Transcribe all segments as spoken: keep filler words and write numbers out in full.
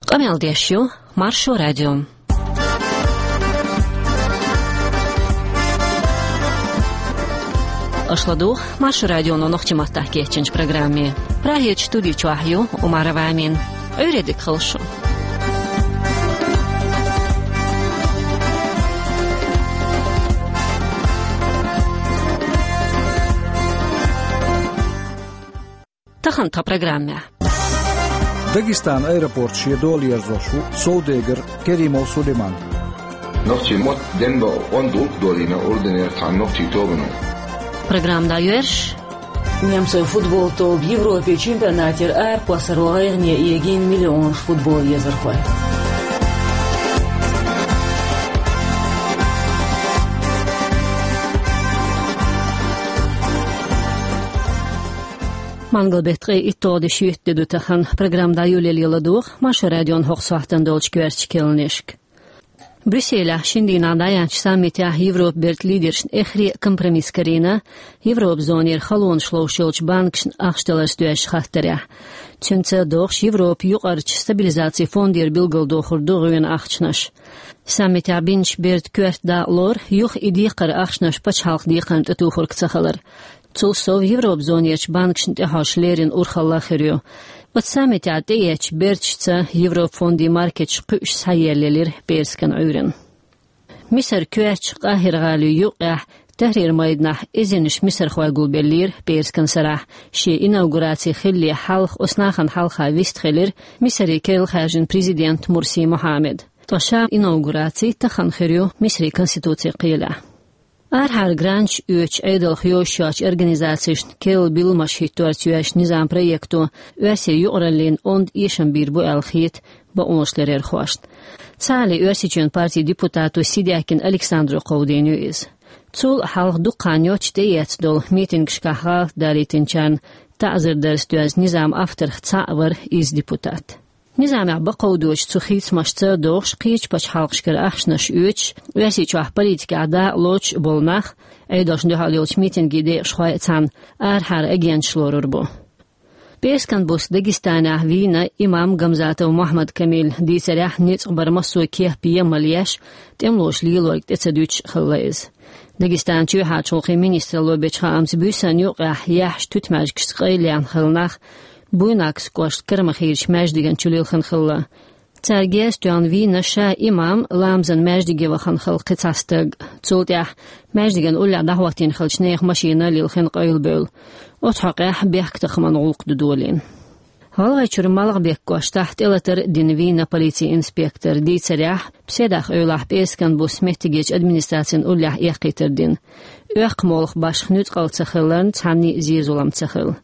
Къамел деш ю Маршо радио. Аша ладугӀу Маршо радионо нохчийн маттахь кечйинчу программе. Прагерчу студи чохь ю Умарова Амина. Ӏуьйре дика хуьлда шун. Тахана тхан программехь. Дагестанан аэропорт шен дола ерзош ву совдегар Керимов Сулейман. Нохчийн мотт денбан онда гӀуллакх долийна Урданера цхьана нохчийн тобано. Программа дӀайоьрзуш. Немцойн футбол тоба Европе чемпионатера аракхоссаро гӀайгӀане эгийна миллионаш футбол езархой. Мангал беттан ткъе итталгӀа де шийтта де ду тахана. Программа дӀайолале ладугӀу Маршо радион хӀокху сохьтана долчу коьртачу кхаьънашка. Брюсселехь шина дийнахь дӀаяьхьначу саммитехь Европан бертан лидершна эххар а компромисс карийна, Европан зонера халонаш ловш йолчу банкашна ахча даларца доьзначу хаттарехь. Цуьнца догӀуш Европан юкъарчу стабилизацин фондера билгалдохур ду гӀоьнан ахчанаш. Саммитехь бинчу бертан коьрта дакъалора юха и декхар ахчанаш пачхьалкхан декхарна тӀетухург ца хилар. Цул сов Европан зонерчу банкашна тӀехьожуш леррина урхалла а хир ю. Оцу саммитехь тӀеэцначу берташца Европан фондийн маркеташ кхуьуш схьаеллаелира пӀераскан Ӏуьйранна. Мисар коьртачу Къахьира-гӀалин юккъехь Тахьрир-майданахь эзарнаш мисархой гулбеллера пӀераскан сарахь. Шен инаугураци хиллале хьалха оцу нахана хьалха вистхилира Мисаре керла хаьржина президент Мурси Мухьаммад. Ткъа ша инаугураци тахана хир ю Мисаран конституци кхелехь. Арахьара гранташ оьцуш Ӏедалх йозуш йоцчу организацешна керла билламаш хӀитторца йоьзначу низаман проекто Оьрсийн юкъараллина онда эшам бийр бу аьлла хета бакъонашларъярхошна. Цхьаалле Оьрсийчоьнан партин депутато Сидякин Александро кховдийна ю иза. Цул а хьалха дукха хан йоццуш тӀеэцна долу митингашкахь гӀалат далийтинчарна таӀзар дарца доьзна низаман авторех цхьаъ вара иза депутат. Низамехь бакъ доцучу цу хийцамашца догӀуш кхечу пачхьалкхашкара ахчанаш оьцуш, Оьрсийчохь политикехь дакъа лоцуш болу нах, Ӏедалшна дуьхьал йолчу митинган декъашхой а цхьаьна, арахьара агенташ лорур бу. ПӀераскан буса Дагестанехь вийна имам Гамзатов Мухьаммад-Камил. Дийцарехь, ницкъ бар массо а кеп ян мала еш, тӀемалоша лелориг тӀе ца дуьтуш хилла иза. Дагестанан чоьхьарчу гӀуллакхийн министралло бечу хаамца, буьйсанна юккъехь яьхьначу туьтмаьжгашца къайлаяьхна хилла нах Буйнакскан кӀоштан Карамахерчу маьждиган чу лилхина хилла. Цара герз тоьхна вийна ша имам, ламазан маьждиге вахана хилла кхин цхьа стаг. Цул тӀаьхьа маьждиган уллехь дӀахӀоттийна хиллачу нехан машина лилхина къайлабевлла. Оцу хьокъехь бехктакхаман гӀуллакх ду долийна. ГӀалгӀайчуьра Малхбек кӀоштахь тӀелатар а дина вийна полицин инспектор. Дийцарехь, пседа эвлахь пӀераскан буса меттигерчу администрацин уллехь эккхийтар дина. Оьккху молха башха нуьцкъала ца хиларна, цхьанний а зен-зулам ца хилла.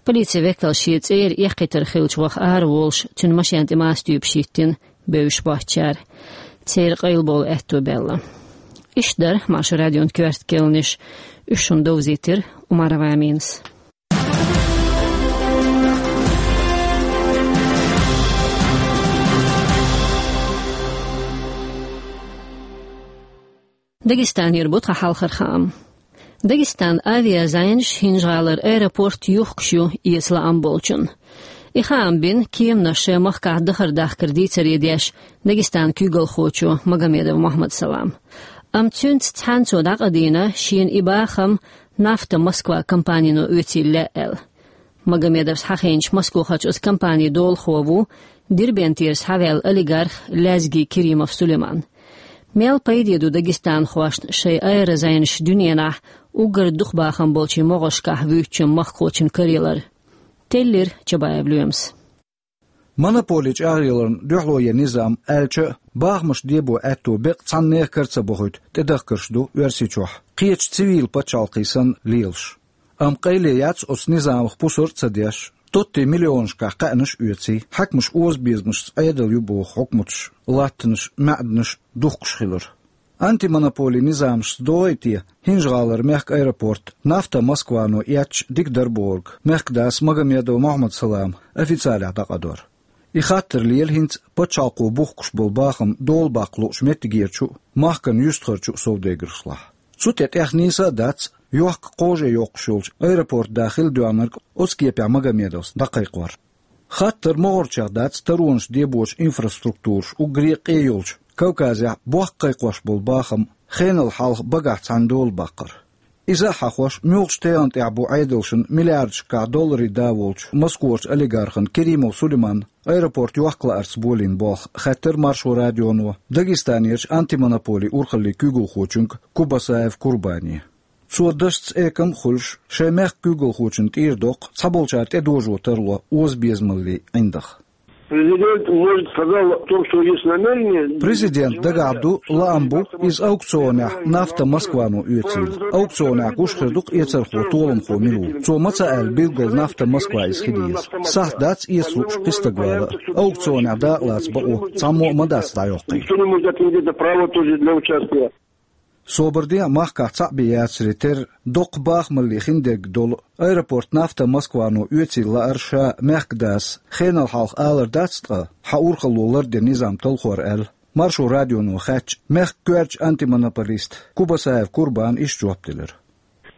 Полицин векал шен цӀера эккхийтар хиллачу ваха ара волуш, цуьнан машен тӀе маса туьйпаш йиттина, бевзаш боцучара. Церан къайлабовла аьтто баьлла. Иштта дара Маршо радион коьрта кхаьънаш, уьш шуна довзийтира Умарова Аминас. Дагестанера бу тхан хьалхара хаам. Дагестанан авиазайнаш ХӀинжа-ГӀалара аэропорт юхкуш ю, эца лаам болчунна. И хаам бина кеманаш шайн махкахь дахар дахкар дийцаре деш Дагестанан куьйгалхочо Магомедов Мохьмад-Салама. Амма цуьнца цхьаьна цо дӀакъадийна шена и бахам «Нафта Москва» компанино оьцийла лаьа аьлла. Магомедовс хьахийначу Москохарчу оцу компанин долахо ву Дербентера схьаваьлла олигарх Лязги Керимов Сулейман. Мел пайде ду дагестанхошна шайн аэрозайнаш дуьненахь уггар дукха бахам болчийн могӀаршкахь вуьйцучун махкахочун караялар? Теллира Чабаев Лоьмас. Монополи чӀагӀъяларна дуьхьало ян низам аьлча а, бахамаш дебо аьтто беккъа цхьаннех кара ца бохуьйту тӀедахкарш ду Оьрсийчохь, кхечу цивил пачхьалкхий санна лелаш. Амма къайле яц оцу низамах пусар а ца деш, тоттий миллионашкахь кхаьънаш а оьций, хьаькамаш озабезамашца Ӏедал ю боху хьукматаш, латтанаш, маьӀданаш духкуш хилар. Антимонополи низамашца догӀий те ХӀинжа-ГӀалара мехкан аэропорт «Нафта Москва»но эцча дика дара бохург мехкан дас Магомедов Мохьмад-Салама официалехь дӀакъадора. И хаттар лела хӀинца пачхьалкхо бухкуш болу бахам долабаккха луучу меттигерчу а, махкана юьстахарчу а совдегаршлахь. Цу тӀе тӀех нийса а дац йохка кхаже йоккхуш йолчу аэропорт да хила доьгӀнарг оцу кепехь Магомедовс дӀакхайкхор. Хаттар могӀарчех дац таронаш дебочу инфраструктураш уггаре а къе йолчу Кавказехь бохк кхайкхош болу бахам хенал хьалха багахь цхьаьна дола баккхар. Иза а хьахош, муьлхачу тайпана тӀехь бу Ӏедалшна миллиардашкахь долларийн да волчу Москварчу олигархана Керимов Сулейманна аэропорт йохка лаарца болийна болх хаьттира Маршо радионо Дагестанерчу антимонополин урхаллин куьйгалхочуьнга Кубасаев Курбане. Цо дашца экам а хуьлуш, шайн мехкан куьйгалхочунна тӀера доккху цхьаболчара тӀедожо тарло озабезамаллин ӀиндагӀ. Президент, может, сказал о том, что есть намерение. Президент дагахь ду, лаам бу, иза аукционехь «Нафта Москвано» оьцийла. Аукционехь гуш хир ду-кх эцархо, толамхо мила ву. Цо ма ца аьлла билггал «Нафта Москва» иза хила еза. Сахьт дац эца лууш кхин стаг вала. Аукционехь дакъалаца бакъо цхьаммо а ма дац дӀайоккхий. Никто не может отменить это право тоже для участия. Собар де а, махкахь цхьаъ бен яцаре терра, доккха бахамалле хиндерг долу аэропорт «Нафта Москвано» оьцийла лаар ша мехкан дас хенал хьалха алар дац, ткъа хьан урхалло лардина низам талхор аьлла, Маршо радионо хаьттича, мехкан коьртачу антимонополиста Кубасаев Курбана иштта жоп делира.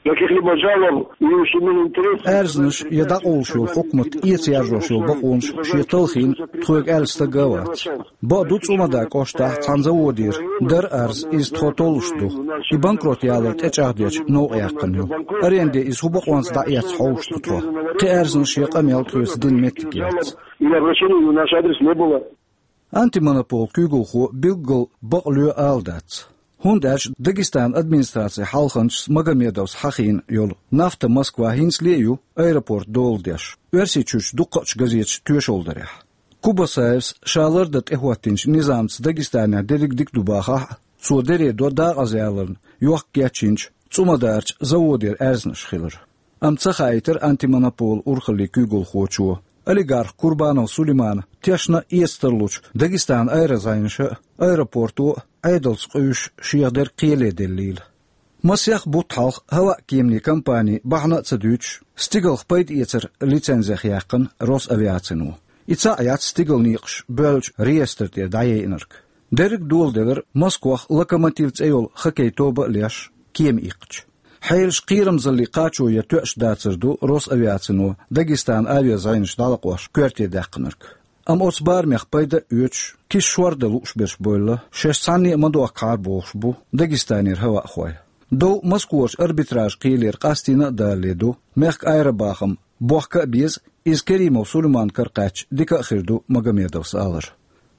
Каких-либо жалоб и ущемления интересов. Аьрзнаш я дӀакъовлуш йолу хьукмат эца яржош йолу бакъонаш шен талхийна тхоьга аьлла стаг а вац. Бакъду, ЦӀумадан кӀоштахь цхьана заводера дара арз, иза тхо толлуш ду. И банкрот ялар тӀечӀагӀдечу новкъа яьккхина ю. Аренде иза хӀун бакъонца дӀаэцна хьовсуш ду тхо. Кхин аьрзнаш я къамел тхоьца дина меттиг яц. И обращений в наш адрес не было. Антимонополан куьйгалхо билггал бакъ лоь ала дац. ХӀунда аьлча Дагестанан администрацин хьалханчас Магомедовс хьахийна йолу «Нафта Москва» хӀинцале а ю аэропорт дола деш, Оьрсийчуьрчу дуккхачу газеташа тоьшалла дарехь. Кубасаевс ша лардан тӀехӀоттийначу низамца Дагестанехь дерриг дика ду бахахь а, цо даре до дакъазаяларна йохка гечйинчу ЦӀумадарчу заводера аьрзнаш хилар. Амма ца хаийтира антимонополан урхаллин куьйгалхочо, олигарх Курбанов Сулеймана тешна а, эца тарлучу Дагестанан аэрозайнаша а, аэропорто а Ӏедалца къуьйсуш шех дерг кхеле деллийла. Масех бутт хьалха хӀаваан-кеманийн компани бахьана а ца дуьйцуш, стигалх пайдаэцаран лицензех яьккхина Росавиацино. И цхьаъ яц стигалан некъаш боьллачу реестр тӀера дӀаяйинарг. Дерриг а доладелира Москвахь «Локомотив» цӀе йолу хоккей тоба а леш, кема иккхича. Хьелаш кхерамзаллин кхачо я тоьаш дацар ду Росавиацино Дагестанан авиазайнаш дӀалакъош коьрте даьккхинарг. Амма оцу барамех пайда а оьцуш, киса шор дан лууш берш бевлла, шаьш цхьанне а ма дохкахьара бохуш бу Дагестанера хӀаваахой. Дов Москварчу арбитражан кхелера къастийна а далале ду, мехкан аэробахам бохка а беза, иза Керимов Сулейманан кара кхаьчча дика а хир ду Магомедовс алар.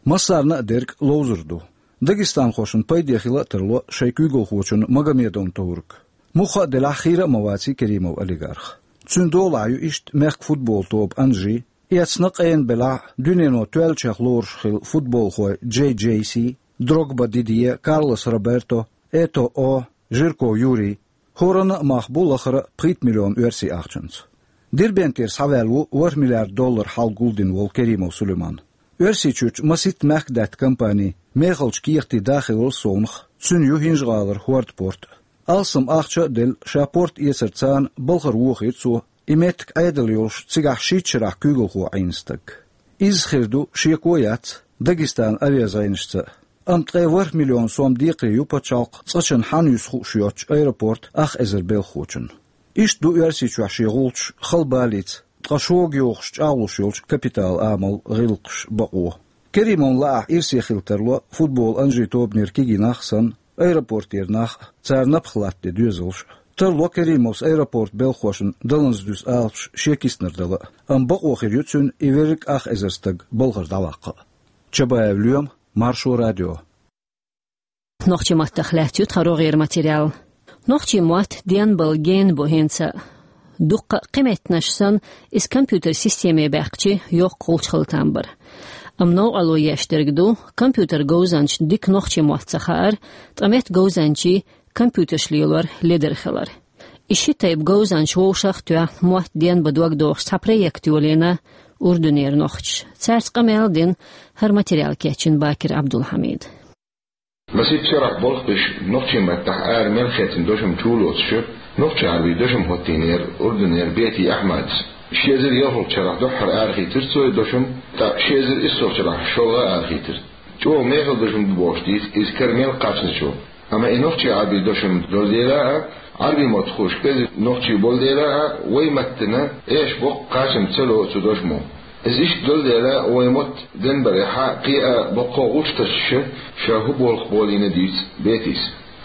Массарна а дерг ловзар ду. Дагестанхошна пайде хила а тарло шайн куьйгалхочунна Магомедовна товриг. Мухха а делахь, хийра а ма ваций Керимов олигарх. Цуьнан долахь ю иштта мехкан футболан тоба «Анжи», эцна къена белахь а, дуьнено тоьллачех лоруш хилла футболхой Джей Джей Си, Дрогба Дидье, Карлос Роберто, Этоо, Жирков Юрий. ХӀоранна а мах бу лахара а пхийтта миллион оьрсийн ахчанца. Дербентера схьаваьлла ву ворхӀ миллиард доллар хьал гулдина волу Керимов Сулейман. Оьрсийчуьрчу масийтта мехкадаьтта компани мехалчу кехатийн да хиларал совнаха, цуьнан ю ХӀинжа-ГӀалара хӀордан порт а. Алссам ахча а делла, ша порт эцар царна балхара вохийра цо, и меттиг Ӏедал йолуш цигахь шийтта шарахь куьйгалхо Ӏийна стаг. Изза хир ду, шеко а яц, Дагестанан авиазайнашца а. Амма ткъе ворхӀ миллион сом декхаре ю пачхьалкхан цкъачунна хьанна юьсу хууш йоцчу аэропортан ах эзар белхахочунна. Иштта ду Оьрсийчохь шен гӀулчаш хала балица, ткъа шога йохуш чӀагӀлуш йолчу капиталан амалан гӀиллакхаш, бакъо. Керимовна лаахь, ирсе хила тарло футболан «Анжи» тобанера кегий нах а санна, аэропортера нах а, цара напха латтаде доьзалш а. Тарло Керимовс аэропортан белхахошна даланза дуьсу алапаш шен киснара дала а. Амма бакъо хир ю цуьнан и верриг ах эзар стаг балхара дӀаваккха а. Чабаев Лоьма, Маршо радио. Нохчийн маттах лаьцна ю тхан рогӀера материал. Нохчийн мотт денбала гена бу хӀинца а. Дуккха а кхин меттанаш санна, иза компьютер системе баьккхича йоккха гӀулч хила там бара. Амма новкъарло еш дерг ду, компьютер говзанча дика нохчийн мотт ца хаар, ткъа меттан говзанчийн компьютерш лелор ледара хилар. И ши тайпа говзанча вовшах а тоьхна, мотт денбан дог дохуш цхьа проект йолийна Урдунера нохчаша. Цаьрца къамел а дина, хӀара материал кечйина Бакир Абдулхьамида. Масийтта шарахь болх беш, нохчийн маттахь ара мел хецна дошам чу а лоцуш, нохчийн Ӏарбийн дошам хӀоттийнера Урдунера Бети Ахьмадас. Ши эзар ялхалгӀачу шарахь дуьххьара арахийтира цо и дошам, ткъа ши эзар иссалгӀачу шарахь шолгӀа а арахийтира. ЧӀогӀа мехала дошам ду бохуш дийца, иза кара мел кхачначо. Амма и нохчийн Ӏарбийн дошам долу дела а, Ӏарбийн мотт хууш кӀезиг нохчий болу дела а, вайн маттана эша боккха кхачам ца ло цу дошамо. Иза иштта долу дела, вай мотт денбарехьа кхин а боккха гӀулч тосуш ша хӀун болх болийна дуьйцу Бетис.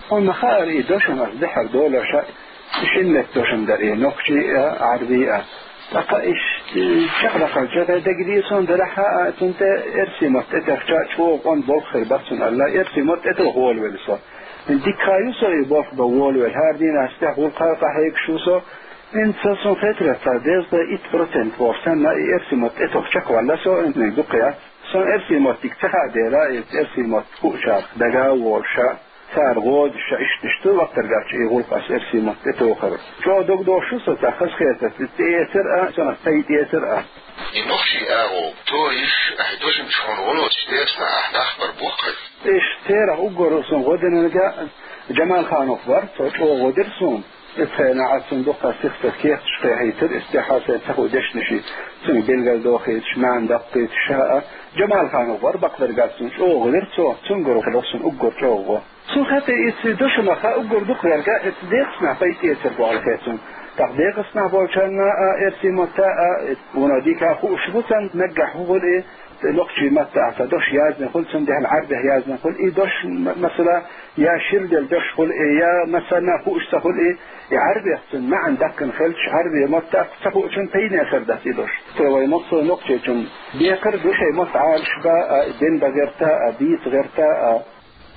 Хьуна ма хаара, и дошамах дехьар долош а, шина меттан дошам дара и, нохчий а, Ӏарбий а. ТӀаккха иштта чекхдаккхалча дагадеа суна, делахь а, цунна тӀе эрсий мотт тӀетоьхча чӀогӀа къон болх хир бац цунна аьлла, эрсий мотт тӀетоха волавелла со. Дика ю со и болх бан волавелла, хӀара дийнахь стехь гӀуллакха къахьегаш ву со. ХӀинца сан хетарехь, цхьа дезткъе итт процент боху санна, и эрсий мотт тӀетоха чекхваьлла со, хӀинца дукха яц. Сан эрсий мотт дика ца хаьа дела, и эрсий мотт хуучарах дага а волуш, цара гӀодуш, иштта-иштта латтаргахь и гӀуллакх ас эрсий мотт тӀетохар. ЧӀогӀа догдохуш ву со цхьа хазахетарца, тӀеэцар а, санах тӀеэцар а. И нохчий агӀо торийш, ахь дошамчу хьуна гӀо лоцуш дерсна ахь нах бара боху хьоьга. Иштта церах уггар сан гӀо динарг Джамалханов вара, цо чӀогӀа гӀо дира суна. Иза хенахь ас цунна дуккха сих-сиха кехаташ кхехьийтира, иза тӀаьхьа сайн ца хуьлу дешнаш, цуьнга билгалдохуьйтуш, маьӀна даккхийтуш а. Джамалханов вара бакъдерг, ас цунна чӀогӀа гӀо дира цо, цуьнгара хилла суна уггар чӀогӀа гӀо. Цунна хетта, иза дошамах уггар дукха верг, иза декъаснахь пайда эцар боху хета цунна. ТӀаккха декъаснахь болчарна а, эрсий матта а, вуно дика хууш бу царна, наггахь хӀун хуьлу и, нохчий маттахь цхьа дош яздина хуьлу, цундела Ӏарбехь яздина хуьлу и дош, м-, масала, я ширделла дош хуьлу и, я массарна а хууш ца хуьлу и, и Ӏарбех цуьнан маьӀна даккхина хилча, Ӏарбийн маттахь ца хуучунна пайдехь хир дац и дош. Цо вайн массо а нохчочунна декхар ду шайн мотт Ӏалашбан а, денбан гӀерта а, дийца гӀерта а.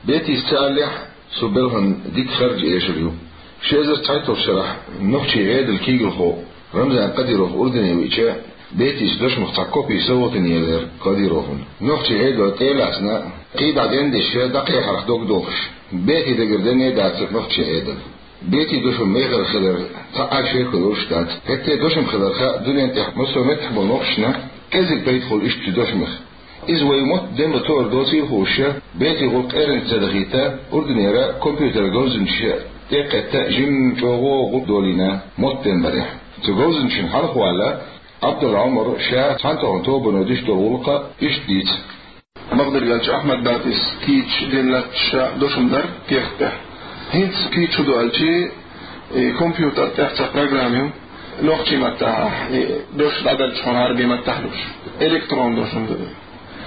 Бетис ца аллехь, цу белхан дика харж эшар ю. Ши эзар цхьайтталгӀачу шарахь нохчийн Ӏедалан куьйгалхо Рамзан Кадыров Урдане веъча, Бетис дошамах цхьа копи совгӀатана елира Кадыровна. Нохчийн Ӏедал тӀе а лаьцна, кхидӀа дендеш, дӀакхехьарх дог дохуш, Бетин дагара денна а дацара нохчийн Ӏедал. Бетин дошам мехала хилар цхьа а шеко йолуш дац. ХӀетте а дошам хилар хаьа дуьнен тӀехь массо а меттехь болу нохчашна, кӀезиг пайда хуьлу иштта дошамах. Иза вайн мотт денбан тоар доцийла хууш, Бетин гӀуллакх эрна ца дахийта, Урданера компьютеран говзанчаша тӀекхетта жимма чӀогӀа гӀуллакх долийна мотт денбарехь. Цу говзанчашна хьалха ваьлла, Ӏабдулла Ӏумара ша цхьаьнатохчу тобано деш долу гӀуллакх иштта дийца. Бакъдерг аьлча, Ахьмад Бетис кийча дина латташ дошам дара кехат тӀехь. ХӀинца кийча хӀун ду аьлча, и компьютер тӀехь цхьа программа ю, нохчийн маттахь, и дош дӀадалча хьуна Ӏарбийн маттахь луш. Электрон дошам ду.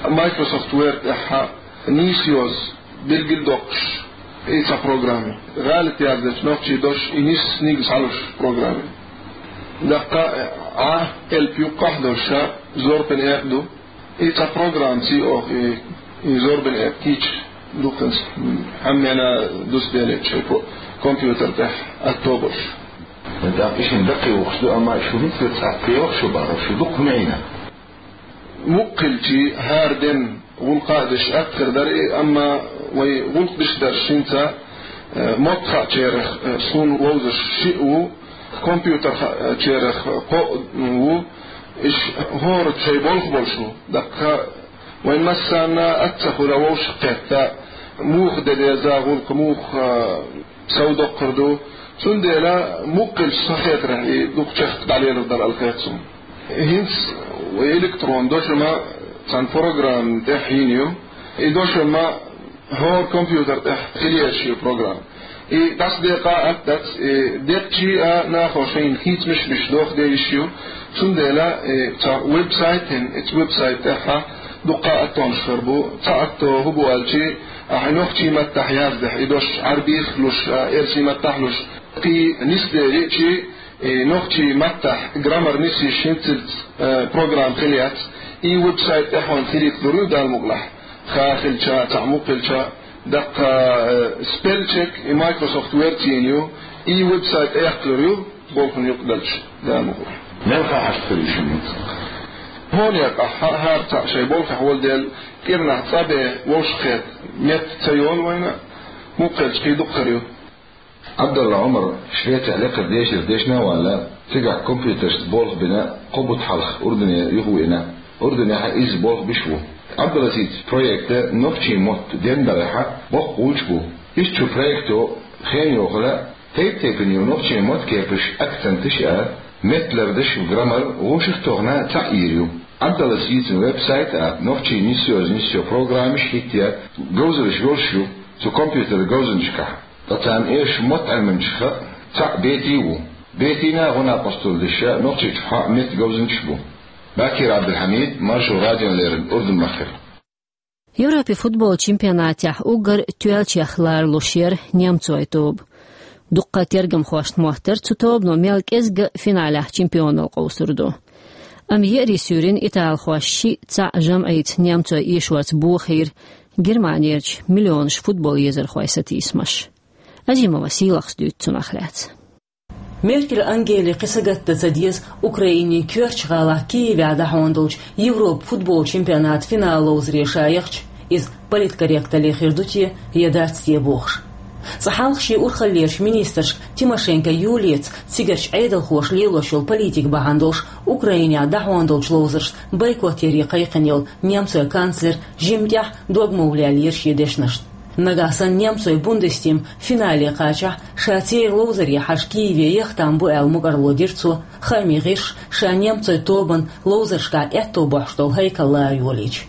Microsoft Word тӀехь нийса йоза билгалдоккхуш, и цхьа программа ю. ГӀалат яздечу нохчийн дош и нийсса нигза хьалуш программа ю. Даккха Ӏа, элп юккъехь долуш, зорбан экъа ду. И цхьа программа ю оха, и, и зорбан экъа кийча дуккханца, хьаьмнена дусбеллачу шайн ко-, компьютер тӀехь атто болуш. ТӀаккха и шуна даккхий вахаш ду, амма шу хӀинца цхьацца кхевахаш шу бахара, шу дукха хӀун Ӏийна? Мукъа хилча, хӀара ден гӀуллакх а деш атта хир дара и, амма вай гӀуллакх деш дарш хӀинца, э, мотт хаьчарах, э, суна вовзаш шиъ ву, компьютер хаьчарах кхоъ ву, иш хӀора шайн болх болуш ву. Даккха вайн массарна а ца хуьлу вовшах кхетта, муха де деза гӀуллакх, муха, а, сов доккхур ду. Цундела мукъа хилча, сан хетарехь, и дукха чехка дӀалелар дара аьлла хета суна. ХӀинца вай электрон дошам цхьана программа тӀехь йина ю. И дошам хӀора компьютер тӀехь хила езаш ю программа. И дӀасадекъа атта дац, и декъча а нахо шайна хийцамаш а беш доха дезаш ю. Цундела, и цхьа веб-сайт йина, и цу веб-сайт тӀехь дуккха а аттонаш хир бу. Цхьа атто хӀун бу аьлча, ахь нохчийн маттахь яздехь и дош, Ӏарбих луш, а, эрсий маттахь луш, кхин нисдалийча, и нохчийн маттахь граммар нисйеш хӀинццалц, э, программа хила яц, и веб-сайт тӀехь хьуна хилийта лур ю Дала мукъалахь. Ха хилча, цхьа мукъа хилча, даккха, э, спеллчек и Microsoft Word йина ю, и веб-сайт тӀеэккха лур ю, болх юкъадалча, Дала мукъалахь. Мел хаа хьашт хир ю шуна хӀинца? ХӀунда аьлча, хӀа-, хӀара цхьаъ шайн болхехь волу дела, кӀирнахь цӀа бен вовшах кхетта метта ца йолу вайна, мукъа хилча кхин дукха хир ю. Ӏабдулла Ӏумар Швецехь лекхара дешара дешна а ваьлла, цигахь компьютершца болх бина, кхо бутт хьалха Урдане юхавеана. Урданехь иза болх беш ву. Ӏабдулласитан проект нохчийн мотт денбарехь боккха гӀулч бу. Иштта цу проекто хен йохийла, тайп-тайпана йолу нохчийн мотт кепаш, акценташ а, меттан лардаш, граммар вовшах а тохна цхьаъ йийр ю. Ӏабдулласитан веб-сайт а, нохчийн нисйоза нисйо программаш а хӀиттаяь, говзаллаш йолуш ю цу компьютеран говзанчашкахь. Ткъа царна эшачу мотт Ӏилманчех цхьаъ Бети ву. Бетина а гӀо-накъосталла деш нохчийчу хьаьа меттан говзанчаш бу. Бакир Абдулхамид, Маршо радиона леррина Урдун-махкара. Европе футбол чемпионатехь уггар тоьллачех ларалуш яра немцойн тоба. Дуккха тергамхошна моттара цу тобано мел кӀезиг а финалехь чемпионал къовсур ду. Амма еарин суьйранна италхоша шиъ цхьаъ жамӀица немцойн эшорца бохийра Германерчу миллионаш футбол езархойн сатийсамаш. Азимова Сийлахьас дуьйцу цунах лаьцна. Меркель Ангеле кхин сагатдан ца деза Украинин коьртачу гӀалахь Киевехь дӀахьона долчу Европа футбол чемпионатан финал ловзаре ша яхча, иза политкорректалле хир ду те, я дац те бохуш. Цкъа хьалха шен урхаллерчу министрашка Тимошенко Юлияца, цигарчу Ӏедалхоша лелош йолу политика бахьана долуш, Украинехь дӀахьона долчу ловзаршна бойкот яре кхайкхина йолу немцойн канцлер жимма тӀехь дог ма вулъяьллера шен дешнашна. Нагахь санна немцойн Бундестим финале кхачахь, ша церан ловзаре хьажа Киеве яхтам бу аьлла мукӀарло дира цо, хаамийн гӀирсаша ша немцойн тобанан ловзаршкахь аьтто бохьуш долу хьайкал лара йолийча.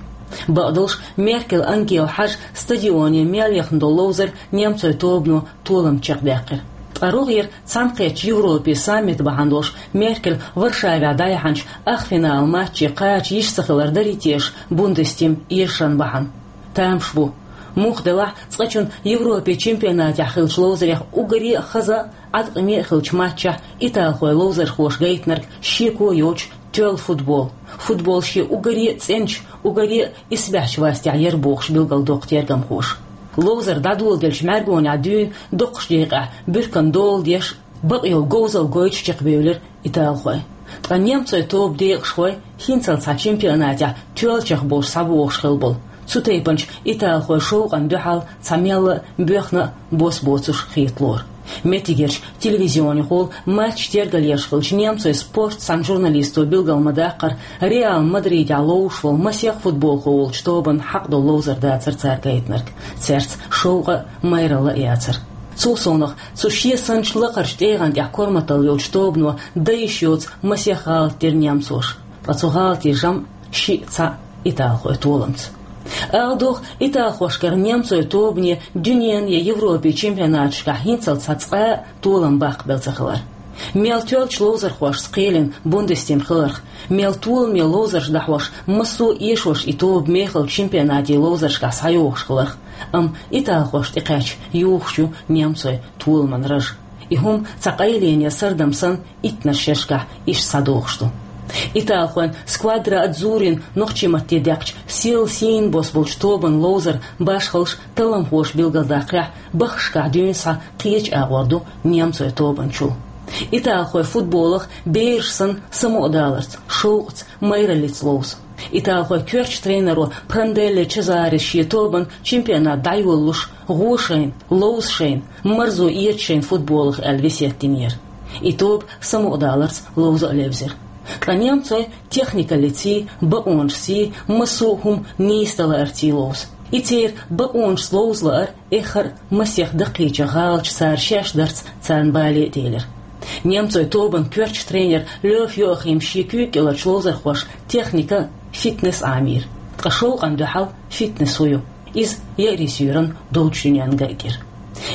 Бакъдолуш, Меркель Ангела хьажа стадионе мел яхна долу ловзар немцойн тобано толам чекхдаьккхира. Ткъа рогӀера Цхьаьнакхеттачу Европин саммит бахьана долуш Меркель Варшавехь дӀаяьхьначу ахфиналан матче кхача йиш ца хилар дарий теша Бундестим эшаран бахьана? Тамаш бу. Муха делахь а, цкъачунна Европин чемпионатехь хиллачу ловзарех уггаре а хаза а, Ӏаткъаме а хиллачу матчехь италхойн ловзархоша гайтинарг шеко йоцуш тоьлла футбол. Футбол шен уггаре а цӀеначу, уггаре а исбаьхьчу вастехь яра бохуш билгалдоккху тергамхоша. Ловзар дӀадоладелча мӀаьргонехь дуьйна доккхачу декъехь буьрканна дола деш, бакъйолу говзалла гойтуш чекхбевлира италхой. Ткъа немцойн тоба декъашхой хӀинццалц цхьа чемпионатехь тоьллачех болуш схьабогӀуш хилла болу, цу тайпанчу италхойн шовкъана дуьхьал цхьа мелла а боьхна а бос боцуш хеталора. Меттигерчу телевизионехула матч тергалъеш хиллачу немцойн спортан цхьана журналисто билгал ма-даккхара, Реал Мадридехь ловзуш волу масех футболхо волчу тобанна хьакъ долу ловзар дацара цара гайтинарг. Цаьрца шовкъа а, майралла а яцара. Цул совнаха, цу шен санначу лакхарчу тӀегӀан тӀехь корматалла йолчу тобано дан йиш йоцу масех гӀалат дира немцоша. Ткъа цу гӀалатийн жамӀ шиъ цхьаъ италхойн толамца. Ала догӀу, италхошкара немцойн тобане дуьненан я Европин чемпионаташкахь хӀинццалц цхьа цкъа а толам баккхабелла ца хилар. Мел тоьллачу ловзархошца кхелина Бундестим хиларх, мел толаме ловзарш дӀахьош, массо а эшош и тоба мехалчу чемпионатийн ловзаршкахь схьайогӀуш хиларх, амма италхошна тӀекхаьчча юхуш ю немцойн толаман раж. И хӀума цхьа къайлене сардам санна, иттаннаш шерашкахь иштта схьадогӀуш ду. Италхойн Сквадра Адзуррин нохчийн матте даьккхича, сел сийна бос болчу тобанан ловзар башхаллаш, талламхоша билгалдаккхарехь, баххашкахь дуьйна схьа кхечу агӀор ду немцойн тобанчул. Италхойн футболах бераш санна самукъадаларца, шовкъаца, майраллица ловзу. Италхойн коьртачу тренеро Пранделле Чезарис шен тобанна чемпионат дӀайолалуш, гӀо шайна, ловза шайна, марзо эца шайна футболах аьлла весет динера. И тоба самукъадаларца ловза а левзира. Ткъа немцойн техникаллиций, бакъонашций, массо а хӀума нийса дан лаарций ловзу. И церан бакъонашца ловза лаар эххар а масех даккхийчу гӀалаташ цара шаьш дарца царна бале а телира. Немцойн тобанан коьртачу тренера Лёв Йоахима шен куьйга кӀеларчу ловзархошна техника а, фитнес а Ӏамийра. Ткъа шовкъана дуьхьал фитнес хӀун ю? Иза еарин суьйранна долчу дуьненна гайтира.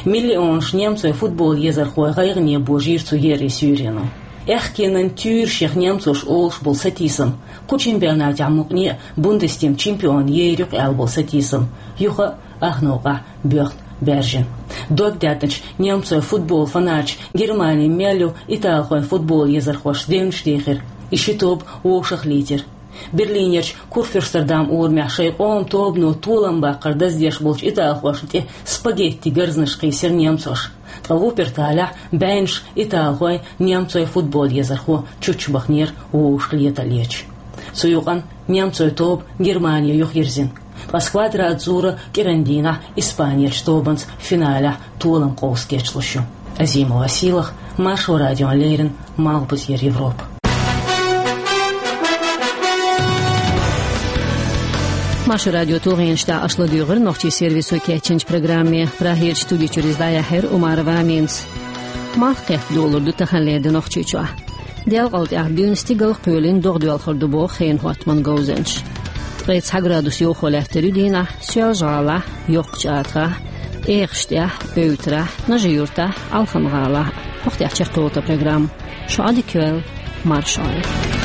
Миллионаш немцойн футбол езархой гӀайгӀане божийра цу еарин суьйрено. Аьхкенан туьйрашех немцоша олуш болу сатийсам, кху чемпионатехь мукъане а Бундестим чемпион ер ю-кх аьлла болу сатийсам, юха а ах новкъахь боьхна баьржина. Дог даьтначу немцойн футбол фанаташа Германи мел ю италхойн футбол езархошца девнаш дийхира. И ши тоба вовшах а лийтира. Берлинерчу Курфюрстендам урамехь шайн къоман тобано толам баккхар даздеш болчу италхошна тӀе спагетти гарзанаш кхийсира немцоша. Ткъа Вупперталехь бӀеннаш италхой, немцойн футбол езархо чуччабахнера вовшах леталлечу. Цу юкъанна немцойн тоба Германе юхайирзина. Ткъа Сквадра Адзурра кӀиран дийнахь Испанерчу тобанца финалехь толам къовса гечдалуш ю. Азимова Сийлахь, Маршо радиона леррина, Малхбузера Европа. Маршо радион тулгӀенаш тӀехь аша ладуьйгӀира нохчийн сервисо кечйинчу программе. Прагерчу студи чуьра иза дӀаяьхьира Умарова Аминас. Малх кхетта долалур ду таханлера де Нохчийчохь. Делкъал тӀехь дуьйна стигала кхоьлина догӀа доьлхур ду боху хенан хӀоттаман говзанчаша. Ткъе цхьа градус йовхо лаьттар ю дийнахь Соьлжа-ГӀалахь, Йоккхачу АтагӀахь, Эхаш тӀехь, Эвтарахь, Нажи-Юртахь, Алхан-ГӀалахь. ХӀокху тӀехь чекхйолу тхан программа. Шун Ӏадика йойла, марша Ӏойла.